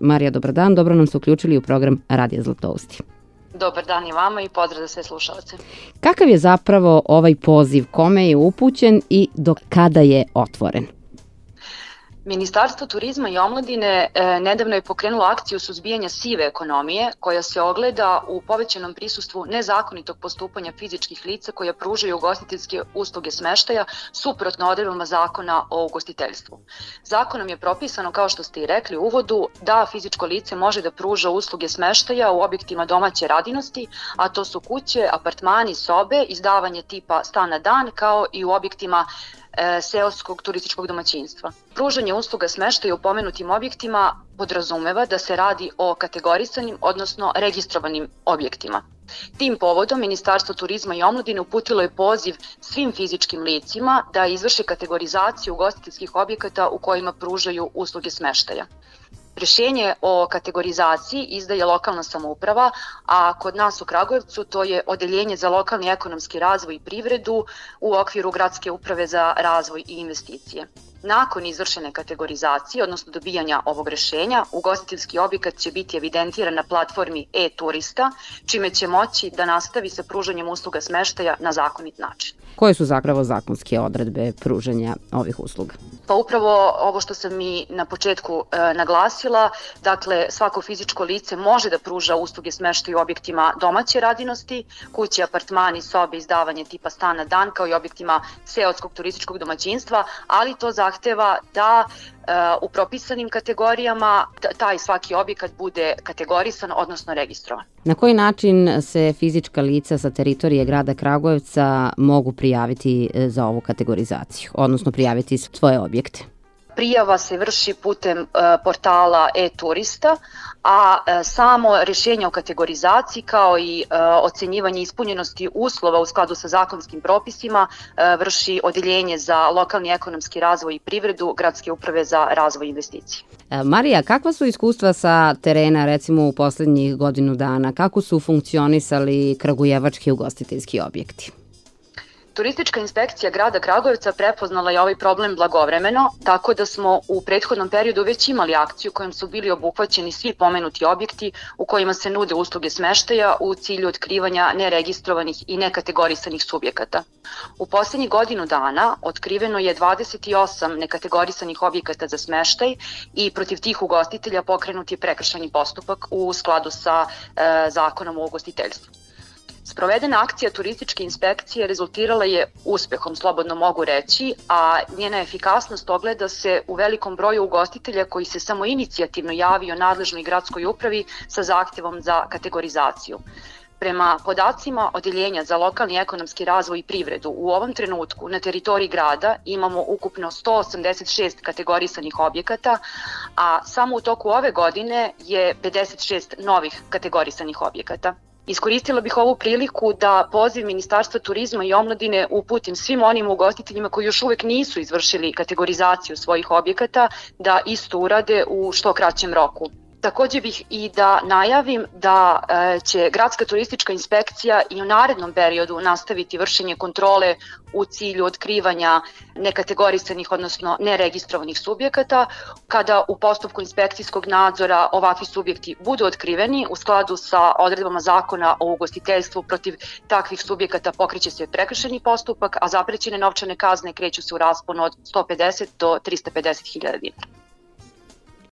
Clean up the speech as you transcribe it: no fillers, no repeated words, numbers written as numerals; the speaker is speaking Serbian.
Marija, dobar dan, dobro nam se uključili u program Radija Zlatousti. Dobar dan i vama i pozdrav za sve slušalce. Kakav je zapravo ovaj poziv, kome je upućen i do kada je otvoren? Ministarstvo turizma i omladine nedavno je pokrenulo akciju suzbijanja sive ekonomije koja se ogleda u povećanom prisustvu nezakonitog postupanja fizičkih lica koja pružaju ugostiteljske usluge smeštaja suprotno odredbama Zakona o ugostiteljstvu. Zakonom je propisano, kao što ste i rekli u uvodu, da fizičko lice može da pruža usluge smeštaja u objektima domaće radinosti, a to su kuće, apartmani, sobe, izdavanje tipa stan na dan, kao i u objektima seoskog turističkog domaćinstva. Pružanje usluga smeštaja u pomenutim objektima podrazumeva da se radi o kategorisanim, odnosno registrovanim objektima. Tim povodom Ministarstvo turizma i omladine uputilo je poziv svim fizičkim licima da izvrše kategorizaciju ugostiteljskih objekata u kojima pružaju usluge smeštaja. Rješenje o kategorizaciji izdaje lokalna samouprava, a kod nas u Kragujevcu to je Odeljenje za lokalni ekonomski razvoj i privredu u okviru Gradske uprave za razvoj i investicije. Nakon izvršene kategorizacije, odnosno dobijanja ovog rješenja, ugostiteljski objekat će biti evidentiran na platformi e-turista, čime će moći da nastavi sa pružanjem usluga smeštaja na zakonit način. Koje su zapravo zakonske odredbe pružanja ovih usluga? Pa upravo ovo što sam i na početku naglasila, dakle svako fizičko lice može da pruža usluge smeštaja u objektima domaće radinosti, kuće, apartmani, sobe, izdavanje tipa stan na dan, kao i objektima seoskog turističkog domaćinstva, ali to zahteva da u propisanim kategorijama taj svaki objekat bude kategorisan, odnosno registrovan. Na koji način se fizička lica sa teritorije grada Kragujevca mogu prijaviti za ovu kategorizaciju, odnosno prijaviti svoje objekte? Prijava se vrši putem portala e-turista, a samo rješenje o kategorizaciji kao i ocenjivanje ispunjenosti uslova u skladu sa zakonskim propisima vrši Odeljenje za lokalni ekonomski razvoj i privredu Gradske uprave za razvoj i investicije. Marija, kakva su iskustva sa terena, recimo u poslednjih godinu dana? Kako su funkcionisali kragujevački ugostiteljski objekti? Turistička inspekcija grada Kragujevca prepoznala je ovaj problem blagovremeno, tako da smo u prethodnom periodu već imali akciju kojom su bili obuhvaćeni svi pomenuti objekti u kojima se nude usluge smeštaja u cilju otkrivanja neregistrovanih i nekategorisanih subjekata. U poslednjih godinu dana otkriveno je 28 nekategorisanih objekata za smeštaj i protiv tih ugostitelja pokrenut je prekršajni postupak u skladu sa Zakonom o ugostiteljstvu. Sprovedena akcija turističke inspekcije rezultirala je uspehom, slobodno mogu reći, a njena efikasnost ogleda se u velikom broju ugostitelja koji se samoinicijativno javio nadležnoj gradskoj upravi sa zahtjevom za kategorizaciju. Prema podacima Odeljenja za lokalni ekonomski razvoj i privredu, u ovom trenutku na teritoriji grada imamo ukupno 186 kategorisanih objekata, a samo u toku ove godine je 56 novih kategorisanih objekata. Iskoristila bih ovu priliku da poziv Ministarstva turizma i omladine uputim svim onim ugostiteljima koji još uvek nisu izvršili kategorizaciju svojih objekata da isto urade u što kraćem roku. Takođe bih i da najavim da će Gradska turistička inspekcija i u narednom periodu nastaviti vršenje kontrole u cilju otkrivanja nekategorisanih, odnosno neregistrovanih subjekata. Kada u postupku inspekcijskog nadzora ovakvi subjekti budu otkriveni, u skladu sa odredbama Zakona o ugostiteljstvu protiv takvih subjekata pokreće se prekršajni postupak, a zaprećene novčane kazne kreću se u rasponu od 150 do 350.000 dinara.